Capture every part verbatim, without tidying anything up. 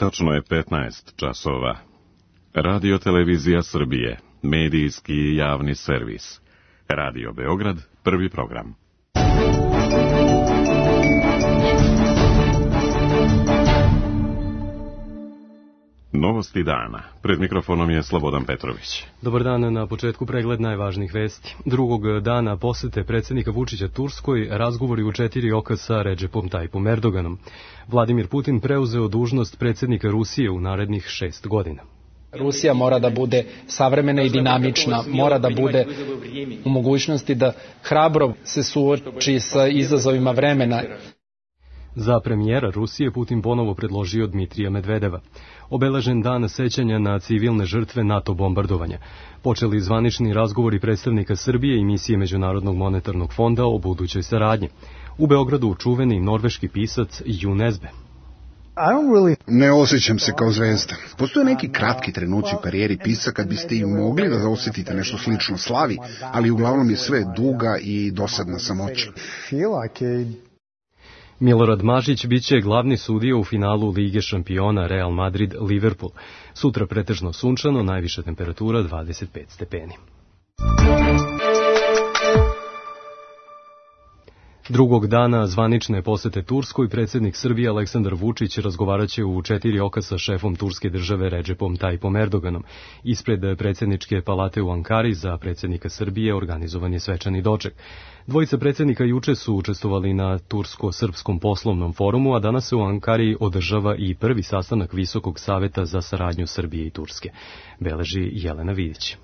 Tačno je petnaest časova. Radio Televizija Srbije, medijski i javni servis. Radio Beograd, prvi program. Novosti dana. Pred mikrofonom je Slobodan Petrović. Dobar dan, na početku pregled najvažnijih vesti. Drugog dana posete predsjednika Vučića Turskoj, razgovori u četiri oka sa Redžepom Tajipom Erdoganom. Vladimir Putin preuzeo dužnost predsjednika Rusije u narednih šest godina. Rusija mora da bude savremena i dinamična, mora da bude u mogućnosti da hrabro se suoči sa izazovima vremena. Za premijera Rusije Putin ponovo predložio Dmitrija Medvedeva. Obeležen dan sećanja na civilne žrtve NATO bombardovanja. Počeli zvanični razgovori predstavnika Srbije i misije Međunarodnog monetarnog fonda o budućoj saradnji. U Beogradu čuveni norveški pisac Jon Nesbø. Ne osjećam se kao zvezda. Postoje neki kratki trenuci u karijeri pisca kad biste i mogli da osjetite nešto slično slavi, ali uglavnom je sve duga i dosadna samoća. Milorad Mažić biće glavni sudija u finalu Lige šampiona Real Madrid-Liverpool. Sutra pretežno sunčano, najviša temperatura dvadeset pet stepeni. Drugog dana zvanične posete Turskoj predsjednik Srbije Aleksandar Vučić razgovaraće u četiri oka sa šefom turske države Redžepom Tajipom Erdoganom. Ispred predsjedničke palate u Ankari za predsjednika Srbije organizovan je svečani doček. Dvojica predsjednika juče su učestvovali na Tursko-srpskom poslovnom forumu, a danas se u Ankari održava i prvi sastanak Visokog saveta za saradnju Srbije i Turske. Beleži Jelena Vidić.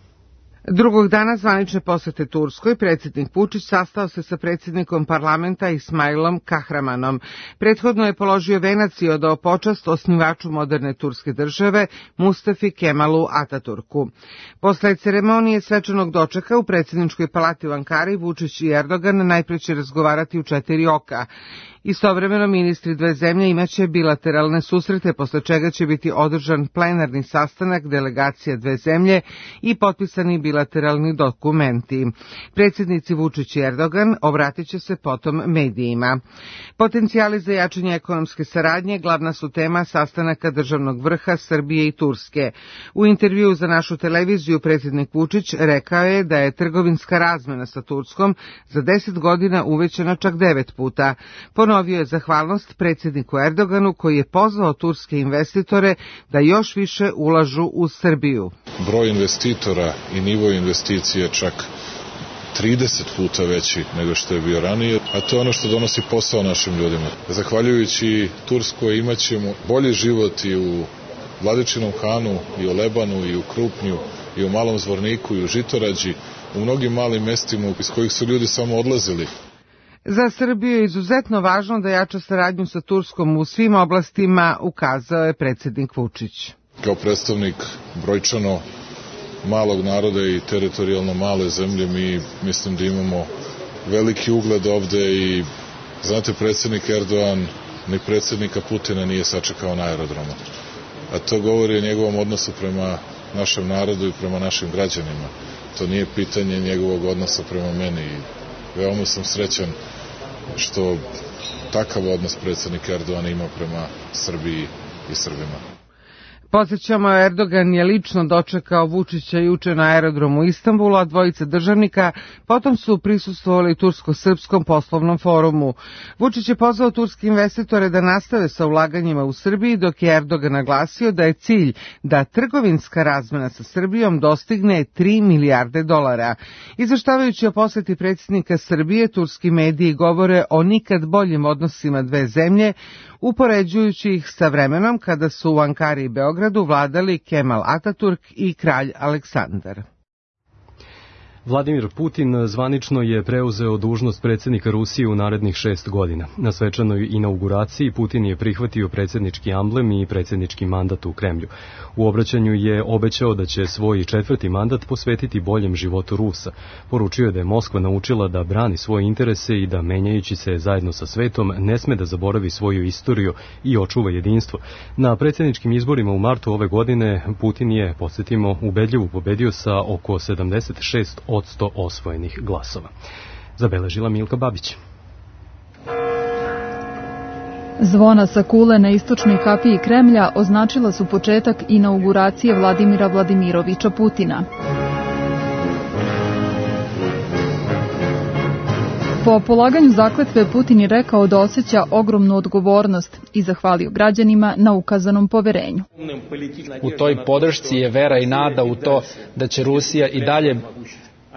Drugog dana zvanične posete Turskoj, predsjednik Vučić sastao se sa predsjednikom parlamenta Ismailom Kahramanom. Prethodno je položio venac i odao počast osnivaču moderne turske države, Mustafi Kemalu Ataturku. Posle ceremonije svečanog dočeka u predsjedničkoj palati u Ankari, Vučić i Erdogan najpre će razgovarati u četiri oka. Istovremeno ministri dve zemlje imaće bilateralne susrete, posle čega će biti održan plenarni sastanak delegacija dve zemlje i potpisani bilateralni dokumenti. Predsjednici Vučić i Erdogan obratit će se potom medijima. Potencijali za jačanje ekonomske saradnje glavna su tema sastanaka državnog vrha Srbije i Turske. U intervjuu za našu televiziju predsjednik Vučić rekao je da je trgovinska razmena sa Turskom za deset godina uvećana čak devet puta. Ponovio je zahvalnost predsjedniku Erdoganu koji je pozvao turske investitore da još više ulažu u Srbiju. Broj investitora i nivo investicije čak trideset puta veći nego što je bio ranije, a to je ono što donosi posao našim ljudima. Zahvaljujući Turskoj imaćemo bolji život i u Vladičinom Hanu, i u Lebanu, i u Krupnju, i u Malom Zvorniku, i u Žitorađi, u mnogim malim mestima iz kojih su ljudi samo odlazili. Za Srbiju je izuzetno važno da jača saradnju sa Turskom u svim oblastima, ukazao je predsjednik Vučić. Kao predstavnik brojčano malog naroda i teritorijalno male zemlje, mi mislim da imamo veliki ugled ovde i, znate, predsjednik Erdogan ni predsjednika Putina nije sačekao na aerodromu. A to govori o njegovom odnosu prema našem narodu i prema našim građanima. To nije pitanje njegovog odnosa prema meni. Veoma sam srećan što takav odnos predsjednik Erdogan ima prema Srbiji i Srbima. Podsjećamo, Erdogan je lično dočekao Vučića juče na aerodromu u Istanbulu, a dvojica državnika potom su prisustvovali Tursko-srpskom poslovnom forumu. Vučić je pozvao turske investitore da nastave sa ulaganjima u Srbiji, dok je Erdogan naglasio da je cilj da trgovinska razmena sa Srbijom dostigne tri milijarde dolara. Izveštavajući o poseti predsjednika Srbije, turski mediji govore o nikad boljim odnosima dve zemlje, upoređujući ih sa vremenom kada su u Ankari i Beogradu vladali Kemal Ataturk i kralj Aleksandar. Vladimir Putin zvanično je preuzeo dužnost predsjednika Rusije u narednih šest godina. Na svečanoj inauguraciji Putin je prihvatio predsjednički amblem i predsjednički mandat u Kremlju. U obraćanju je obećao da će svoj četvrti mandat posvetiti boljem životu Rusa. Poručio je da je Moskva naučila da brani svoje interese i da, menjajući se zajedno sa svetom, ne sme da zaboravi svoju istoriju i očuva jedinstvo. Na predsjedničkim izborima u martu ove godine Putin je, podsjetimo, ubedljivo pobedio sa oko sedamdeset šest od sto osvojenih glasova. Zabeležila Milka Babić. Zvona sa kule na istočnoj kapiji Kremlja označila su početak inauguracije Vladimira Vladimiroviča Putina. Po polaganju zakletve Putin je rekao da osjeća ogromnu odgovornost i zahvalio građanima na ukazanom poverenju. U toj podršci je vera i nada u to da će Rusija i dalje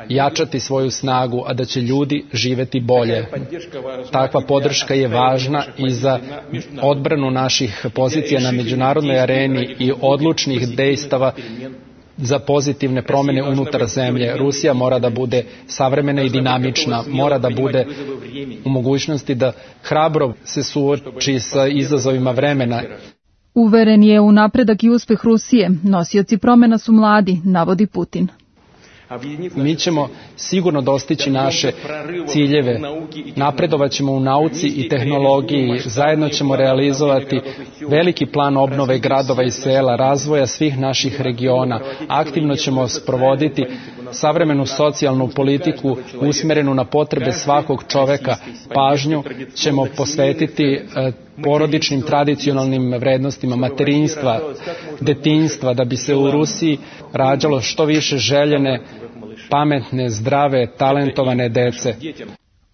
jačati svoju snagu, a da će ljudi živeti bolje. Takva podrška je važna i za odbranu naših pozicija na međunarodnoj areni i odlučnih dejstava za pozitivne promjene unutar zemlje. Rusija mora da bude savremena i dinamična, mora da bude u mogućnosti da hrabro se suoči sa izazovima vremena. Uveren je u napredak i uspeh Rusije. Nosioci promjena su mladi, navodi Putin. Mi ćemo sigurno dostići naše ciljeve, napredovat ćemo u nauci i tehnologiji, zajedno ćemo realizovati veliki plan obnove gradova i sela, razvoja svih naših regiona, aktivno ćemo sprovoditi savremenu socijalnu politiku usmjerenu na potrebe svakog čoveka, pažnju ćemo posvetiti porodičnim tradicionalnim vrednostima materinstva, detinjstva, da bi se u Rusiji rađalo što više željene, pametne, zdrave, talentovane dece.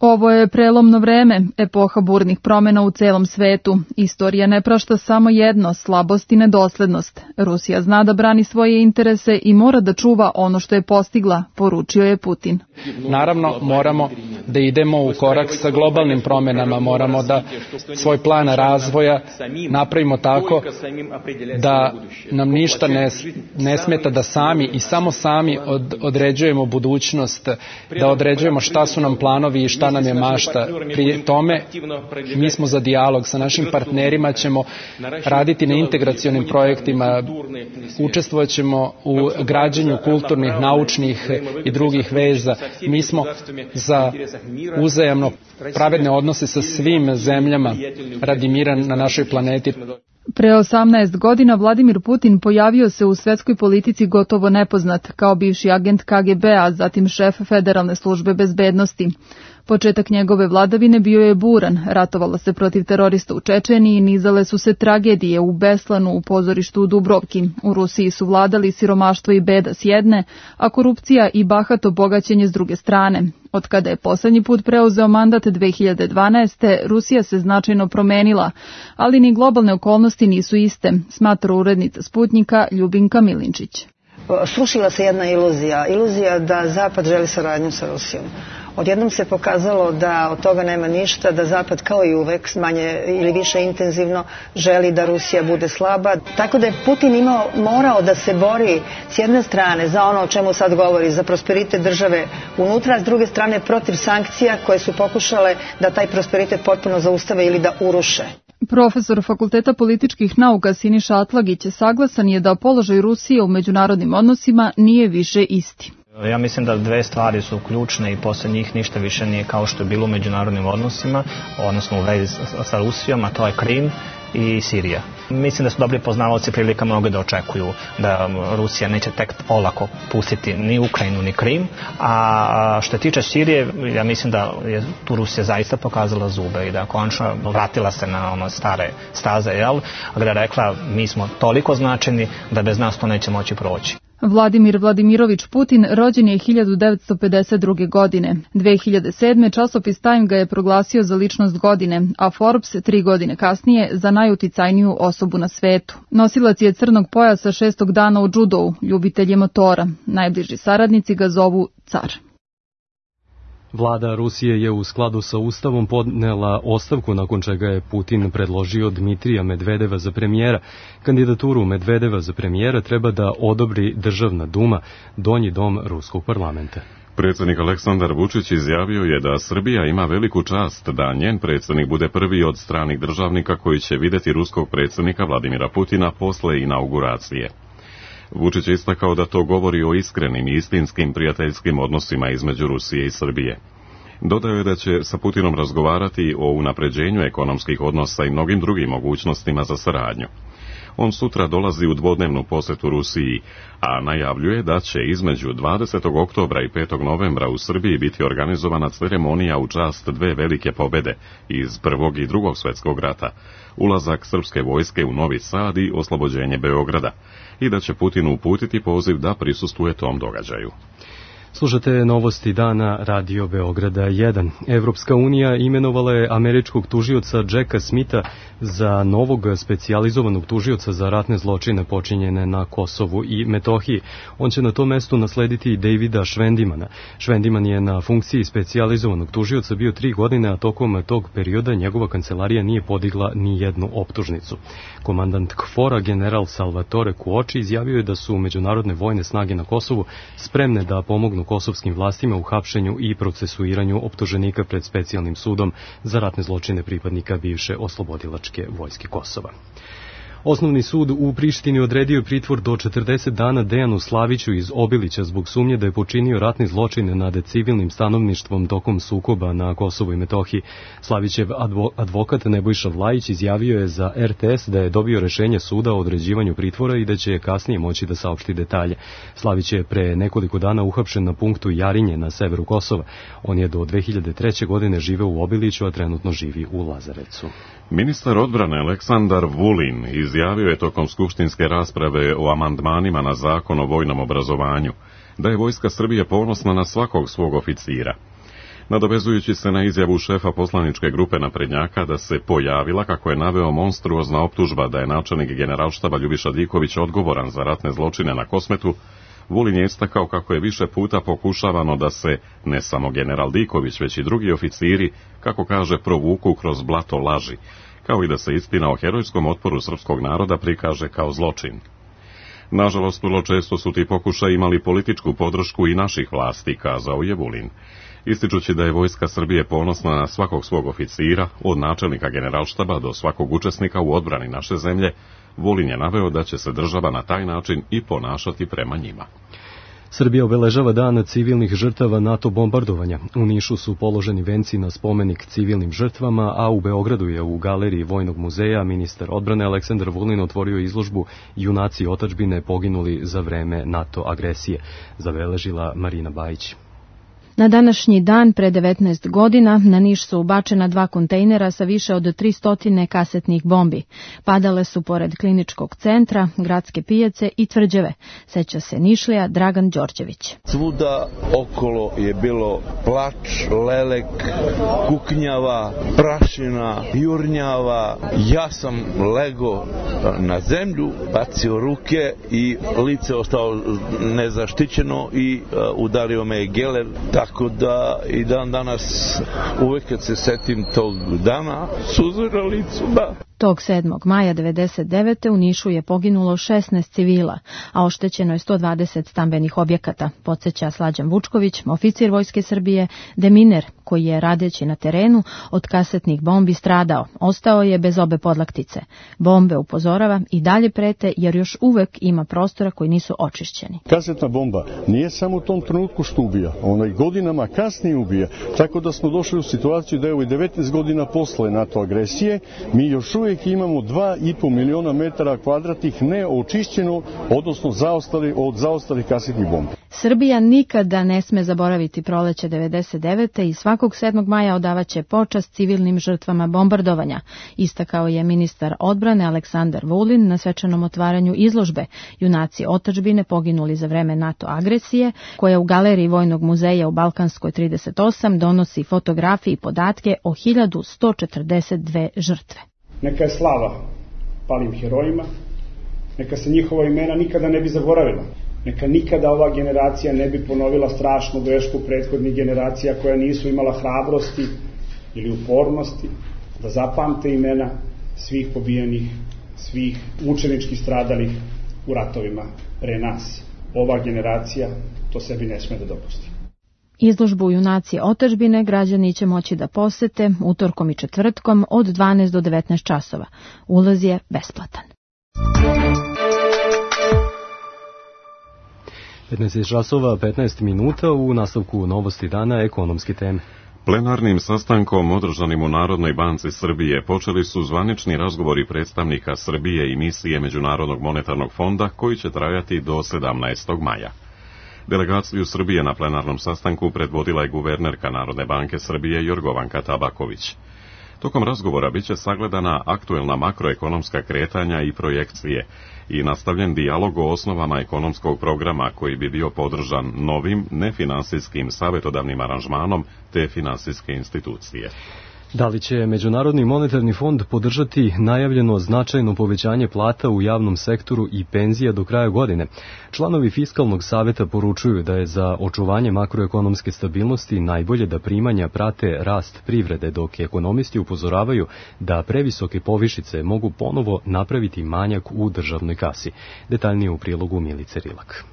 Ovo je prelomno vreme, epoha burnih promjena u celom svetu. Istorija ne prašta samo jedno, slabost i nedoslednost. Rusija zna da brani svoje interese i mora da čuva ono što je postigla, poručio je Putin. Naravno, moramo da idemo u korak sa globalnim promjenama, moramo da svoj plan razvoja napravimo tako da nam ništa ne, ne smeta da sami i samo sami od, određujemo budućnost, da određujemo šta su nam planovi i šta nam je mašta. Pri tome mi smo za dijalog sa našim partnerima, ćemo raditi na integracionim projektima, učestvovat ćemo u građenju kulturnih, naučnih i drugih veza. Mi smo za uzajamno pravedne odnose sa svim zemljama radi mira na našoj planeti. Pre osamnaest godina Vladimir Putin pojavio se u svetskoj politici gotovo nepoznat, kao bivši agent K G B-a, zatim šef Federalne službe bezbednosti. Početak njegove vladavine bio je buran, ratovalo se protiv terorista u Čečeniji, nizale su se tragedije u Beslanu, u pozorištu u Dubrovki. U Rusiji su vladali siromaštvo i beda s jedne, a korupcija i bahato bogaćenje s druge strane. Od kada je poslednji put preuzeo mandat dve hiljade dvanaeste. Rusija se značajno promenila, ali ni globalne okolnosti nisu iste, smatra urednica Sputnjika Ljubinka Milinčić. Srušila se jedna iluzija, iluzija da Zapad želi saradnju sa Rusijom. Odjednom se pokazalo da od toga nema ništa, da Zapad kao i uvek manje ili više intenzivno želi da Rusija bude slaba. Tako da je Putin imao, morao da se bori s jedne strane za ono o čemu sad govori, za prosperitet države unutra, a s druge strane protiv sankcija koje su pokušale da taj prosperitet potpuno zaustave ili da uruše. Profesor Fakulteta političkih nauka Siniša Atlagić saglasan je da položaj Rusije u međunarodnim odnosima nije više isti. Ja mislim da dve stvari su ključne i posle njih ništa više nije kao što je bilo u međunarodnim odnosima, odnosno u vezi sa Rusijom, a to je Krim i Sirija. Mislim da su dobri poznavaoci prilika mnogo da očekuju da Rusija neće tek olako pustiti ni Ukrajinu ni Krim, a što se tiče Sirije, ja mislim da je tu Rusija zaista pokazala zube i da konačno vratila se na ono stare staze, jel, gde je rekla mi smo toliko značajni da bez nas to neće moći proći. Vladimir Vladimirovič Putin rođen je hiljadu devetsto pedeset druge. godine. dve hiljade sedme. časopis Time ga je proglasio za ličnost godine, a Forbes tri godine kasnije za najuticajniju osobu na svetu. Nosilac je crnog pojasa šestog dana u džudou, ljubitelj je motora. Najbliži saradnici ga zovu car. Vlada Rusije je u skladu sa Ustavom podnela ostavku, nakon čega je Putin predložio Dmitrija Medvedeva za premijera. Kandidaturu Medvedeva za premijera treba da odobri Državna duma, donji dom ruskog parlamenta. Predsjednik Aleksandar Vučić izjavio je da Srbija ima veliku čast da njen predsjednik bude prvi od stranih državnika koji će videti ruskog predsjednika Vladimira Putina posle inauguracije. Vučić je istakao da to govori o iskrenim i istinskim prijateljskim odnosima između Rusije i Srbije. Dodao je da će sa Putinom razgovarati o unapređenju ekonomskih odnosa i mnogim drugim mogućnostima za saradnju. On sutra dolazi u dvodnevnu posjetu Rusiji, a najavljuje da će između dvadesetog oktobra i petog novembra u Srbiji biti organizovana ceremonija u čast dve velike pobjede iz Prvog i Drugog svjetskog rata, ulazak srpske vojske u Novi Sad i oslobođenje Beograda, i da će Putin uputiti poziv da prisustvuje tom događaju. Slušate novosti dana Radio Beograda jedan. Evropska unija imenovala je američkog tužioca Jacka Smitha za novog specijalizovanog tužioca za ratne zločine počinjene na Kosovu i Metohiji. On će na tom mestu naslediti Davida Švendimana. Švendiman je na funkciji specijalizovanog tužioca bio tri godine, a tokom tog perioda njegova kancelarija nije podigla ni jednu optužnicu. Komandant KFOR-a general Salvatore Kuoči izjavio je da su međunarodne vojne snage na Kosovu spremne da pomognu kosovskim vlastima u hapšenju i procesuiranju optuženika pred specijalnim sudom za ratne zločine pripadnika bivše oslobodilačke vojske Kosova. Osnovni sud u Prištini odredio je pritvor do četrdeset dana Dejanu Slaviću iz Obilića zbog sumnje da je počinio ratni zločin nad civilnim stanovništvom tokom sukoba na Kosovu i Metohiji. Slavićev advo, advokat Nebojša Vlajić izjavio je za R T S da je dobio rešenje suda o određivanju pritvora i da će kasnije moći da saopšti detalje. Slavić je pre nekoliko dana uhapšen na punktu Jarinje na severu Kosova. On je do dve hiljade treće. godine živeo u Obiliću, a trenutno živi u Lazarecu. Ministar odbrane Aleksandar Vulin izjavio je tokom skupštinske rasprave o amandmanima na zakon o vojnom obrazovanju da je Vojska Srbije ponosna na svakog svog oficira. Nadovezujući se na izjavu šefa poslaničke grupe naprednjaka da se pojavila, kako je naveo, monstruozna optužba da je načelnik generalštaba Ljubiša Diković odgovoran za ratne zločine na Kosmetu, Vulin je istakao kako je više puta pokušavano da se ne samo general Diković, već i drugi oficiri, kako kaže, provuku kroz blato laži, kao i da se istina o herojskom otporu srpskog naroda prikaže kao zločin. Nažalost, vrlo često su ti pokušaji imali političku podršku i naših vlasti, kazao je Vulin. Ističući da je Vojska Srbije ponosna na svakog svog oficira, od načelnika generalštaba do svakog učesnika u odbrani naše zemlje, Vulin je naveo da će se država na taj način i ponašati prema njima. Srbija obeležava dan civilnih žrtava NATO bombardovanja. U Nišu su položeni venci na spomenik civilnim žrtvama, a u Beogradu je u galeriji Vojnog muzeja ministar odbrane Aleksandar Vulin otvorio izložbu Junaci otadžbine poginuli za vreme NATO agresije, zabeležila Marina Bajić. Na današnji dan pre devetnaest godina na Niš su ubačena dva kontejnera sa više od tristo kasetnih bombi. Padale su pored kliničkog centra, gradske pijace i tvrđave, seća se Nišlija Dragan Đorđević. Svuda okolo je bilo plač, lelek, kuknjava, prašina, jurnjava. Ja sam lego na zemlju, bacio ruke i lice ostao nezaštićeno i udario me geler. Tako da i dan danas uvek kad se setim tog dana, suze na licu, da. Tog sedmog maja devedeset devete. u Nišu je poginulo šesnaest civila, a oštećeno je sto dvadeset stambenih objekata, podsjeća Slađan Vučković, oficir Vojske Srbije, deminer, koji je radeći na terenu od kasetnih bombi stradao. Ostao je bez obe podlaktice. Bombe, upozorava, i dalje prete jer još uvek ima prostora koji nisu očišćeni. Kasetna bomba nije samo u tom trenutku što ubija, ona i godinama kasnije ubija, tako da smo došli u situaciju da je ovo devetnaest godina posle NATO agresije, mi još uvijek imamo dva i po miliona metara kvadratnih neočišćeno, odnosno zaostali od zaostalih kasetnih bombi. Srbija nikada ne sme zaboraviti proleće devedeset devete. i svakog sedmog maja odavaće počast civilnim žrtvama bombardovanja, istakao je ministar odbrane Aleksandar Vulin na svečanom otvaranju izložbe Junaci otadžbine poginuli za vreme NATO agresije, koja u galeriji Vojnog muzeja u Balkanskoj trideset osam donosi fotografije i podatke o hiljadu sto četrdeset dve žrtve. Neka je slava palim herojima, neka se njihova imena nikada ne bi zaboravila, neka nikada ova generacija ne bi ponovila strašnu grešku prethodnih generacija koja nisu imala hrabrosti ili upornosti da zapamte imena svih pobijenih, svih mučenički stradalih u ratovima pre nas. Ova generacija to sebi ne sme da dopusti. Izložbu Junaci otadžbine građani će moći da posete utorkom i četvrtkom od dvanaest do devetnaest časova. Ulaz je besplatan. petnaest časova petnaest minuta, u nastavku novosti dana ekonomske teme. Plenarnim sastankom održanim u Narodnoj banci Srbije počeli su zvanični razgovori predstavnika Srbije i misije Međunarodnog monetarnog fonda koji će trajati do sedamnaestog maja. Delegaciju Srbije na plenarnom sastanku predvodila je guvernerka Narodne banke Srbije Jorgovanka Tabaković. Tokom razgovora biće sagledana aktuelna makroekonomska kretanja i projekcije i nastavljen dijalog o osnovama ekonomskog programa koji bi bio podržan novim nefinansijskim savjetodavnim aranžmanom te finansijske institucije. Da li će Međunarodni monetarni fond podržati najavljeno značajno povećanje plata u javnom sektoru i penzija do kraja godine? Članovi Fiskalnog saveta poručuju da je za očuvanje makroekonomske stabilnosti najbolje da primanja prate rast privrede, dok ekonomisti upozoravaju da previsoke povišice mogu ponovo napraviti manjak u državnoj kasi. Detaljnije u prilogu Milice Rilak.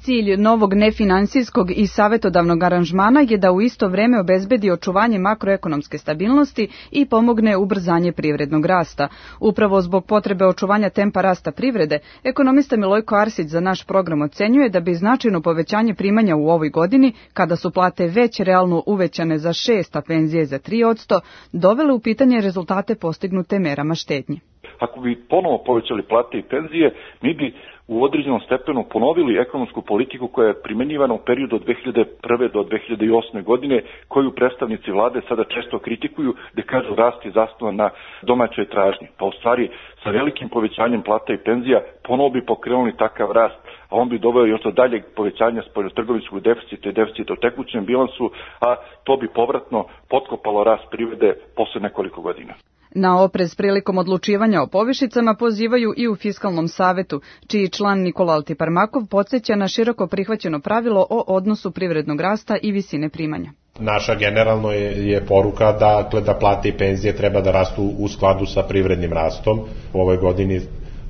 Cilj novog nefinansijskog i savjetodavnog aranžmana je da u isto vreme obezbedi očuvanje makroekonomske stabilnosti i pomogne ubrzanje privrednog rasta. Upravo zbog potrebe očuvanja tempa rasta privrede, ekonomista Milojko Arsić za naš program ocenjuje da bi značajno povećanje primanja u ovoj godini, kada su plate već realno uvećane za šest, a penzije za tri posto, dovele u pitanje rezultate postignute merama štednje. Ako bi ponovo povećali plate i penzije, mi bi u određenom stepenu ponovili ekonomsku politiku koja je primenjivana u periodu od dve hiljade prve do dve hiljade osme godine, koju predstavnici vlade sada često kritikuju, gde kažu rast je zasnovan na domaćoj tražnji. Pa u stvari sa velikim povećanjem plata i penzija ponovo bi pokrenuli takav rast, a on bi doveo još do daljeg povećanja spoljnotrgovinskog deficita i deficita u tekućem bilansu, a to bi povratno potkopalo rast privrede posle nekoliko godina. Na oprez prilikom odlučivanja o povišicama pozivaju i u Fiskalnom savetu, čiji član Nikola Altiparmakov podsjeća na široko prihvaćeno pravilo o odnosu privrednog rasta i visine primanja. Naša generalno je, je poruka da, da plate i penzije treba da rastu u skladu sa privrednim rastom. U ovoj godini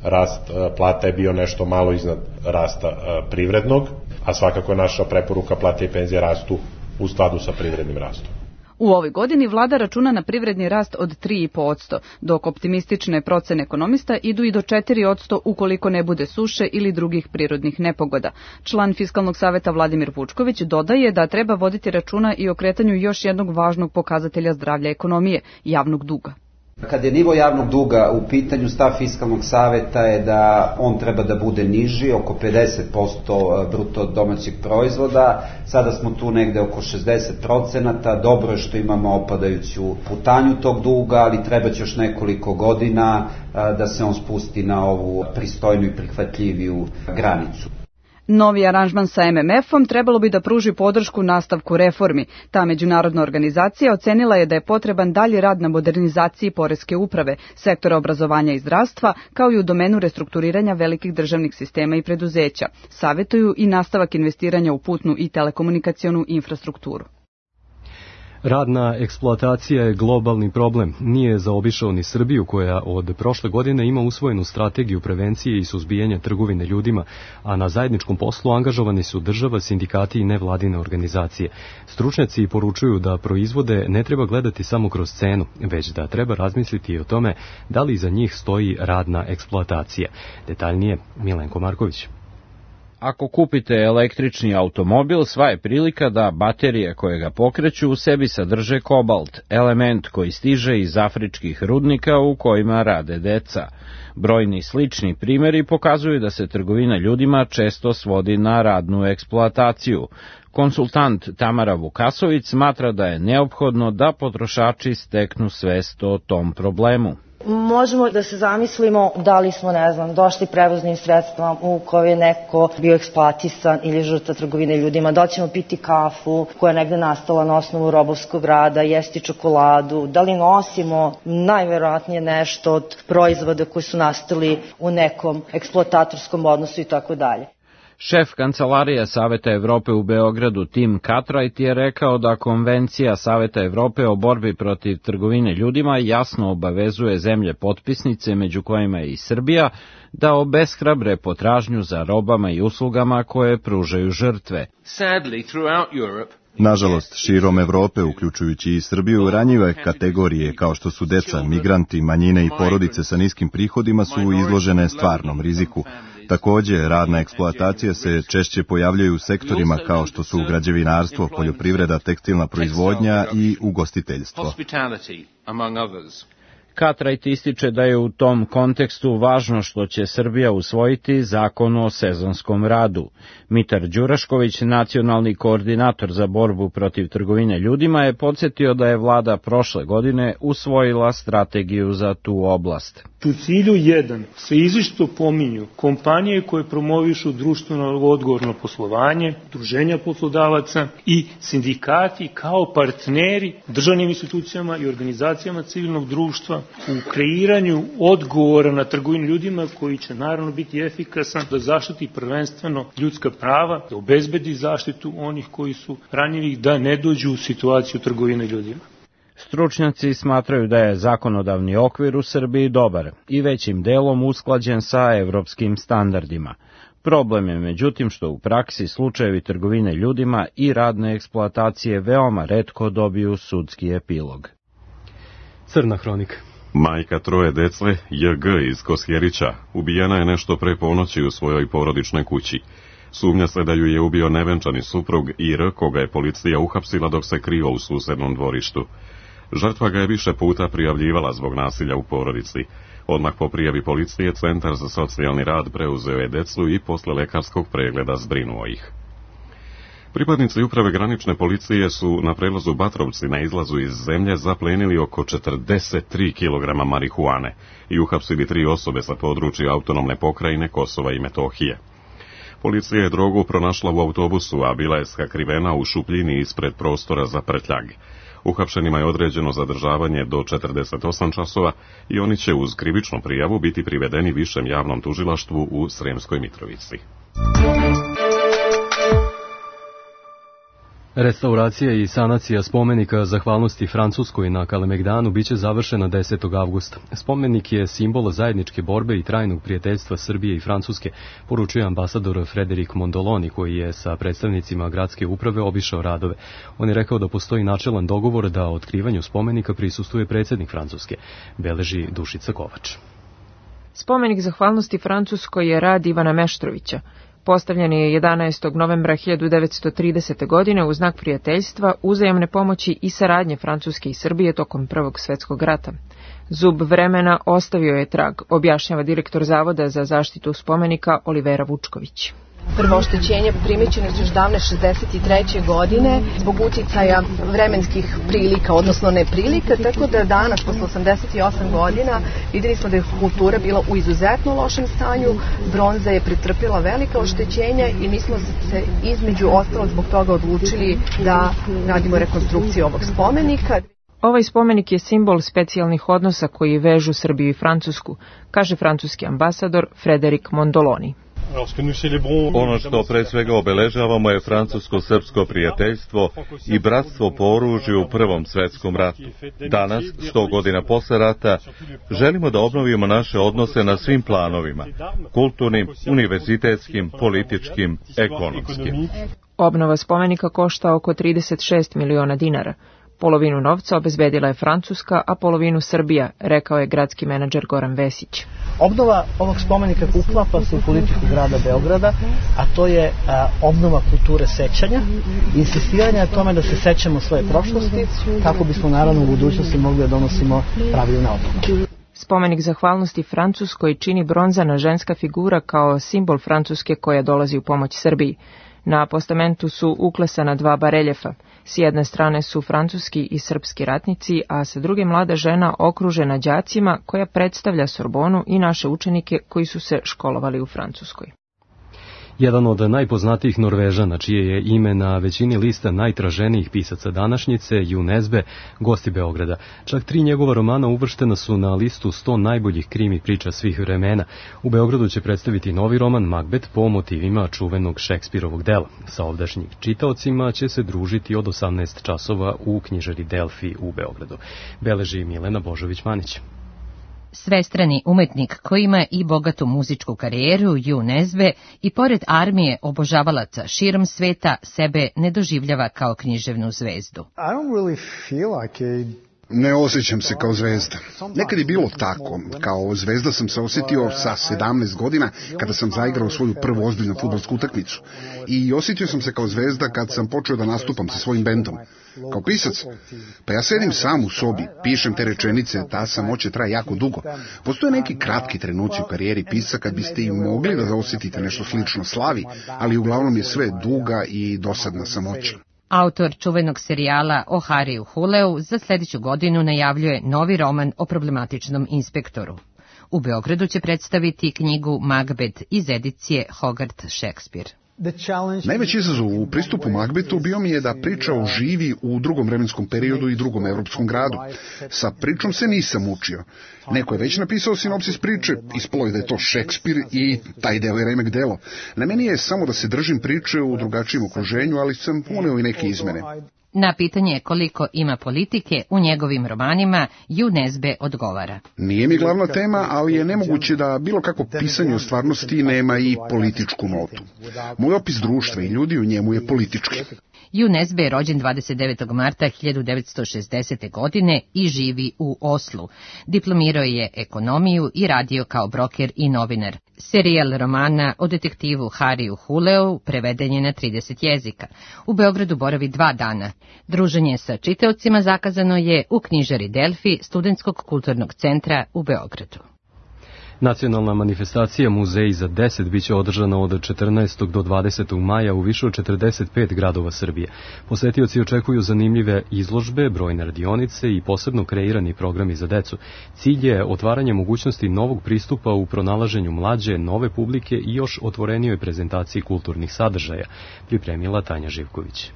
rast plata je bio nešto malo iznad rasta privrednog, a svakako je naša preporuka plate i penzije rastu u skladu sa privrednim rastom. U ovoj godini vlada računa na privredni rast od tri i po posto, dok optimistične procene ekonomista idu i do četiri posto ukoliko ne bude suše ili drugih prirodnih nepogoda. Član Fiskalnog saveta Vladimir Vučković dodaje da treba voditi računa i o kretanju još jednog važnog pokazatelja zdravlja ekonomije, javnog duga. Kad je nivo javnog duga u pitanju, stav Fiskalnog saveta je da on treba da bude niži, oko pedeset posto bruto domaćeg proizvoda. Sada smo tu negde oko šezdeset procenata. Dobro je što imamo opadajuću putanju tog duga, ali treba će još nekoliko godina da se on spusti na ovu pristojnu i prihvatljiviju granicu. Novi aranžman sa M M F-om trebalo bi da pruži podršku nastavku reformi. Ta međunarodna organizacija ocenila je da je potreban dalji rad na modernizaciji poreske uprave, sektora obrazovanja i zdravstva, kao i u domenu restrukturiranja velikih državnih sistema i preduzeća. Savetuju i nastavak investiranja u putnu i telekomunikacionu infrastrukturu. Radna eksploatacija je globalni problem. Nije zaobišao ni Srbiju, koja od prošle godine ima usvojenu strategiju prevencije i suzbijanja trgovine ljudima, a na zajedničkom poslu angažovani su država, sindikati i nevladine organizacije. Stručnjaci poručuju da proizvode ne treba gledati samo kroz cenu, već da treba razmisliti i o tome da li iza njih stoji radna eksploatacija. Detaljnije Milenko Marković. Ako kupite električni automobil, sva je prilika da baterije koje ga pokreću u sebi sadrže kobalt, element koji stiže iz afričkih rudnika u kojima rade deca. Brojni slični primjeri pokazuju da se trgovina ljudima često svodi na radnu eksploataciju. Konsultant Tamara Vukasović smatra da je neophodno da potrošači steknu svest o tom problemu. Možemo da se zamislimo da li smo, ne znam, došli prevoznim sredstvom u kojoj je neko bio eksploatisan ili žrtva trgovine ljudima, da li ćemo piti kafu koja je negde nastala na osnovu robovskog rada, jesti čokoladu, da li nosimo najverovatnije nešto od proizvoda koji su nastali u nekom eksploatatorskom odnosu i tako dalje. Šef Kancelarije Saveta Evrope u Beogradu Tim Cartwright je rekao da Konvencija Saveta Evrope o borbi protiv trgovine ljudima jasno obavezuje zemlje potpisnice, među kojima je i Srbija, da obeshrabre potražnju za robama i uslugama koje pružaju žrtve. Nažalost, širom Evrope, uključujući i Srbiju, ranjive kategorije kao što su deca, migranti, manjine i porodice sa niskim prihodima su izložene stvarnom riziku. Također, radna eksploatacija se češće pojavljaju u sektorima kao što su građevinarstvo, poljoprivreda, tekstilna proizvodnja i ugostiteljstvo. Cartwright ističe da je u tom kontekstu važno što će Srbija usvojiti zakon o sezonskom radu. Mitar Đurašković, nacionalni koordinator za borbu protiv trgovine ljudima, je podsjetio da je vlada prošle godine usvojila strategiju za tu oblast. U cilju jedan se izričito pominju kompanije koje promovišu društveno odgovorno poslovanje, udruženja poslodavaca i sindikati kao partneri državnim institucijama i organizacijama civilnog društva u kreiranju odgovora na trgovinu ljudima koji će naravno biti efikasan da zaštiti prvenstveno ljudska prava, da obezbedi zaštitu onih koji su ranjivi, da ne dođu u situaciju trgovine ljudima. Stručnjaci smatraju da je zakonodavni okvir u Srbiji dobar i većim delom usklađen sa evropskim standardima. Problem je međutim što u praksi slučajevi trgovine ljudima i radne eksploatacije veoma retko dobiju sudski epilog. Crna hronika. Majka troje dece, J G iz Kosjerića, ubijena je nešto pre ponoći u svojoj porodičnoj kući. Sumnja se da ju je ubio nevenčani suprug I R, koga je policija uhapsila dok se krio u susednom dvorištu. Žrtva ga je više puta prijavljivala zbog nasilja u porodici. Odmah po prijavi policije, Centar za socijalni rad preuzeo je decu i posle lekarskog pregleda zbrinuo ih. Pripadnici uprave granične policije su na prelazu Batrovci na izlazu iz zemlje zaplenili oko četrdeset tri kilograma marihuane i uhapsili tri osobe sa područja autonomne pokrajine Kosova i Metohije. Policija je drogu pronašla u autobusu, a bila je sakrivena u šupljini ispred prostora za prtljag. Uhapšenima je određeno zadržavanje do četrdeset osam časova i oni će uz krivičnu prijavu biti privedeni višem javnom tužilaštvu u Sremskoj Mitrovici. Restauracija i sanacija spomenika zahvalnosti Francuskoj na Kalemegdanu biće završena desetog avgusta. Spomenik je simbol zajedničke borbe i trajnog prijateljstva Srbije i Francuske, poručuje ambasador Frederik Mondoloni, koji je sa predstavnicima gradske uprave obišao radove. On je rekao da postoji načelan dogovor da otkrivanju spomenika prisustvuje predsjednik Francuske, beleži Dušica Kovač. Spomenik zahvalnosti Francuskoj je rad Ivana Meštrovića. Postavljen je jedanaestog novembra hiljadu devetsto tridesete. godine u znak prijateljstva, uzajamne pomoći i saradnje Francuske i Srbije tokom Prvog svjetskog rata. Zub vremena ostavio je trag, objašnjava direktor Zavoda za zaštitu spomenika Olivera Vučković. Prvo oštećenje primećeno su još davne šezdeset treće. godine zbog uticaja vremenskih prilika, odnosno neprilika, tako da danas, posle osamdeset osam godina, videli smo da je kultura bila u izuzetno lošem stanju, bronza je pretrpjela velika oštećenja i mi smo se između ostalog zbog toga odlučili da radimo rekonstrukciju ovog spomenika. Ovaj spomenik je simbol specijalnih odnosa koji vežu Srbiju i Francusku, kaže francuski ambasador Frederik Mondoloni. Ono što pre svega obeležavamo je francusko-srpsko prijateljstvo i bratstvo po oružju u Prvom svetskom ratu. Danas, sto godina posle rata, želimo da obnovimo naše odnose na svim planovima, kulturnim, univerzitetskim, političkim, ekonomskim. Obnova spomenika košta oko trideset šest miliona dinara. Polovinu novca obezbedila je Francuska, a polovinu Srbija, rekao je gradski menadžer Goran Vesić. Obnova ovog spomenika uklapa se u politiku grada Beograda, a to je a, obnova kulture sećanja, insistiranje na tome da se sećamo svoje prošlosti, kako bismo naravno u budućnosti mogli da donosimo pravilne odluke. Spomenik zahvalnosti Francuskoj čini bronzana ženska figura kao simbol Francuske koja dolazi u pomoć Srbiji. Na postamentu su uklesana dva bareljefa. S jedne strane su francuski i srpski ratnici, a sa druge mlada žena okružena đacima koja predstavlja Sorbonu i naše učenike koji su se školovali u Francuskoj. Jedan od najpoznatijih Norvežana, čije je ime na većini lista najtraženijih pisaca današnjice, Jo Nesbø, gosti Beograda. Čak tri njegova romana uvrštena su na listu sto najboljih krimi priča svih vremena. U Beogradu će predstaviti novi roman Macbeth po motivima čuvenog Šekspirovog dela. Sa ovdašnjim čitaocima će se družiti od osamnaest časova u knjižari Delfi u Beogradu. Beleži Milena Božović-Manić. Svestrani umetnik koji ima i bogatu muzičku karijeru, Jo Nesbø, i pored armije obožavalaca širom sveta, sebe ne doživljava kao književnu zvezdu. I don't really feel like a Ne osjećam se kao zvezda. Nekad je bilo tako. Kao zvezda sam se osjetio sa sedamnaest godina kada sam zaigrao svoju prvu ozbiljnu fudbalsku utakmicu. I osjetio sam se kao zvezda kad sam počeo da nastupam sa svojim bendom. Kao pisac, pa ja sedim sam u sobi, pišem te rečenice, ta samoća traje jako dugo. Postoje neki kratki trenuci u karijeri pisca kad biste i mogli da osjetite nešto slično slavi, ali uglavnom je sve duga i dosadna samoća. Autor čuvenog serijala o Hariju Huleu za sljedeću godinu najavljuje novi roman o problematičnom inspektoru. U Beogradu će predstaviti knjigu Macbeth iz edicije Hogarth Shakespeare. Najveći izazov u pristupu Macbethu bio mi je da priča oživi u drugom vremenskom periodu i drugom evropskom gradu. Sa pričom se nisam učio. Neko je već napisao sinopsis priče, ispalo je da je to Shakespeare i taj deo je remek delo. Na meni je samo da se držim priče u drugačijem okruženju, ali sam uneo i neke izmene. Na pitanje koliko ima politike u njegovim romanima, Ju Nesbe odgovara. Nije mi glavna tema, ali je nemoguće da bilo kako pisanje o stvarnosti nema i političku notu. Moj opis društva i ljudi u njemu je politički. Ju Nesbe je rođen dvadeset devetog marta hiljadu devetsto šezdesete. godine i živi u Oslu. Diplomirao je ekonomiju i radio kao broker i novinar. Serijal romana o detektivu Hariju Huleu preveden je na trideset jezika. U Beogradu boravi dva dana. Druženje sa čitaocima zakazano je u knjižari Delfi Studentskog kulturnog centra u Beogradu. Nacionalna manifestacija Muzej za deset biće održana od četrnaestog do dvadesetog maja u više od četrdeset pet gradova Srbije. Posetioci očekuju zanimljive izložbe, brojne radionice i posebno kreirani programi za decu. Cilj je otvaranje mogućnosti novog pristupa u pronalaženju mlađe, nove publike i još otvorenijoj prezentaciji kulturnih sadržaja, pripremila Tanja Živković.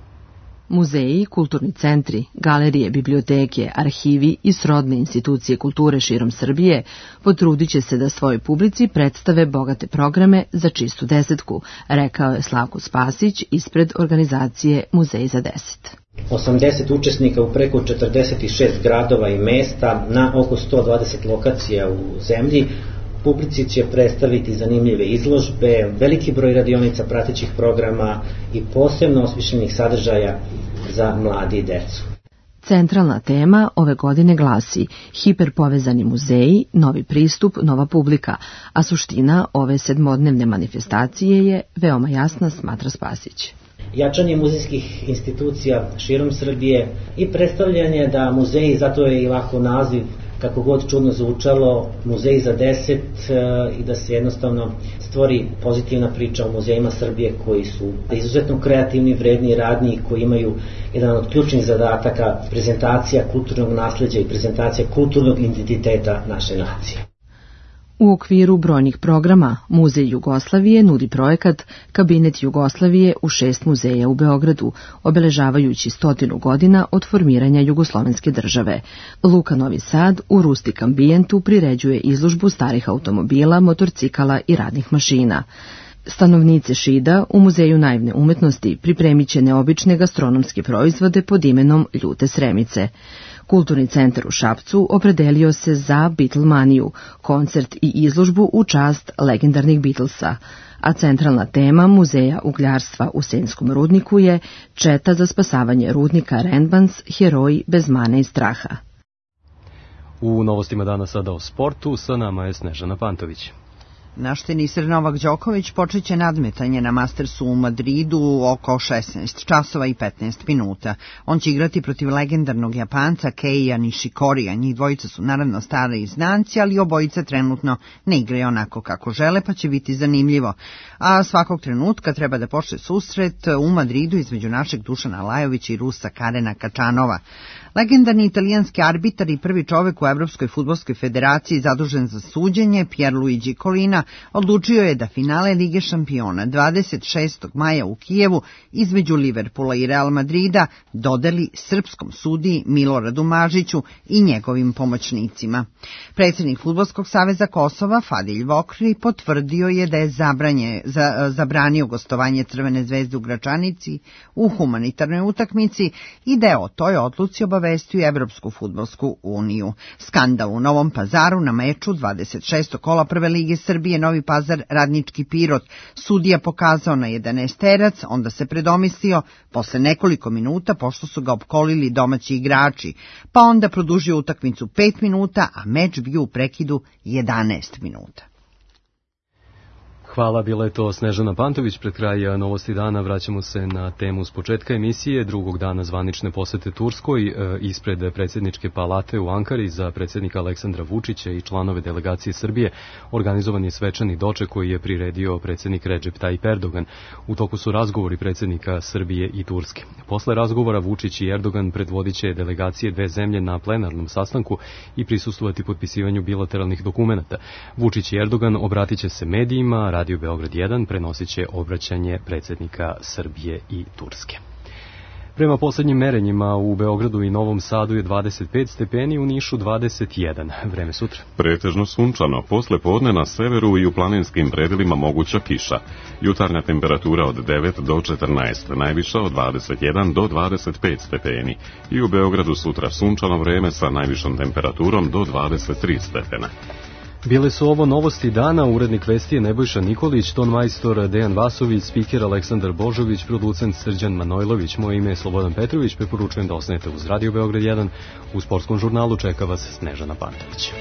Muzeji, kulturni centri, galerije, biblioteke, arhivi i srodne institucije kulture širom Srbije potrudit će se da svojoj publici predstave bogate programe za čistu desetku, rekao je Slavko Spasić ispred organizacije Muzej za deset. osamdeset učesnika u preko četrdeset šest gradova i mesta na oko sto dvadeset lokacija u zemlji. Publici će predstaviti zanimljive izložbe, veliki broj radionica pratećih programa i posebno osmišljenih sadržaja za mladi i decu. Centralna tema ove godine glasi hiperpovezani muzeji, novi pristup, nova publika, a suština ove sedmodnevne manifestacije je veoma jasna, smatra Spasić. Jačanje muzejskih institucija širom Srbije i predstavljanje da muzeji, zato je i ovako naziv, kako god čudno zvučalo, Muzej za deset, i da se jednostavno stvori pozitivna priča o muzejima Srbije koji su izuzetno kreativni, vredni i radni i koji imaju jedan od ključnih zadataka prezentacija kulturnog nasleđa i prezentacija kulturnog identiteta naše nacije. U okviru brojnih programa Muzej Jugoslavije nudi projekat Kabinet Jugoslavije u šest muzeja u Beogradu, obeležavajući stotinu godina od formiranja jugoslovenske države. Luka Novi Sad u rustik ambijentu priređuje izložbu starih automobila, motorcikala i radnih mašina. Stanovnice Šida u Muzeju naivne umetnosti pripremit će neobične gastronomske proizvode pod imenom Ljute sremice. Kulturni centar u Šapcu opredelio se za Beatlemaniju, koncert i izložbu u čast legendarnih Beatlesa, a centralna tema Muzeja ugljarstva u Senskom rudniku je Četa za spasavanje rudnika Rendbans, heroji bez mane i straha. U novostima dana sada o sportu, sa nama je Snežana Pantović. Naš teniser Novak Đoković počeće nadmetanje na Mastersu u Madridu oko šesnaest časova i petnaest minuta. On će igrati protiv legendarnog Japanca Keija Nishikorija. Njih dvojica su naravno stari znanci, ali obojica trenutno ne igraju onako kako žele, pa će biti zanimljivo. A svakog trenutka treba da počne susret u Madridu između našeg Dušana Lajovića i Rusa Karena Kačanova. Legendarni italijanski arbitar i prvi čovek u Evropskoj fudbalskoj federaciji zadužen za suđenje, Pierluigi Collina, odlučio je da finale Lige šampiona dvadeset šestog maja u Kijevu između Liverpoola i Real Madrida dodeli srpskom sudiji Miloradu Mažiću i njegovim pomoćnicima. Predsjednik Fudbalskog saveza Kosova Fadilj Vokri potvrdio je da je zabranje, za, zabranio gostovanje Crvene zvezde u Gračanici u humanitarnoj utakmici i da je o toj odluci obavestio obavestio Evropsku fudbalsku uniju. Skandal u Novom Pazaru na meču dvadeset šestog kola Prve lige Srbije Novi Pazar Radnički Pirot. Sudija pokazao na jedanaesterac, onda se predomislio posle nekoliko minuta pošto su ga opkolili domaći igrači, pa onda produžio utakmicu pet minuta, a meč bio u prekidu jedanaest minuta. Hvala, bila je to Snežana Pantović. Pred kraj novosti dana vraćamo se na temu s početka emisije, drugog dana zvanične posete Turskoj. Ispred predsjedničke palate u Ankari za predsjednika Aleksandra Vučića i članove delegacije Srbije organizovan je svečani doček koji je priredio predsjednik Recep Tayyip Erdogan. U toku su razgovori predsjednika Srbije i Turske. Posle razgovora Vučić i Erdogan predvodit će delegacije dve zemlje na plenarnom sastanku i prisustvovati potpisivanju bilateralnih dokumenata. Vučić i Erdogan obratit će se medijima, Radio Beograd jedan prenosit će obraćanje predsjednika Srbije i Turske. Prema poslednjim merenjima u Beogradu i Novom Sadu je dvadeset pet stepeni, u Nišu dvadeset jedan. Vreme sutra. Pretežno sunčano, posle podne na severu i u planinskim predelima moguća kiša. Jutarnja temperatura od devet do četrnaest, najviša od dvadeset jedan do dvadeset pet stepeni. I u Beogradu sutra sunčano vreme sa najvišom temperaturom do dvadeset tri stepena. Bile su ovo novosti dana, urednik vesti je Nebojša Nikolić, ton majstor Dejan Vasović, spiker Aleksandar Božović, producent Srđan Manojlović, moje ime je Slobodan Petrović, preporučujem da ostanete uz Radio Beograd jedan, u sportskom žurnalu čeka vas Snežana Pantović.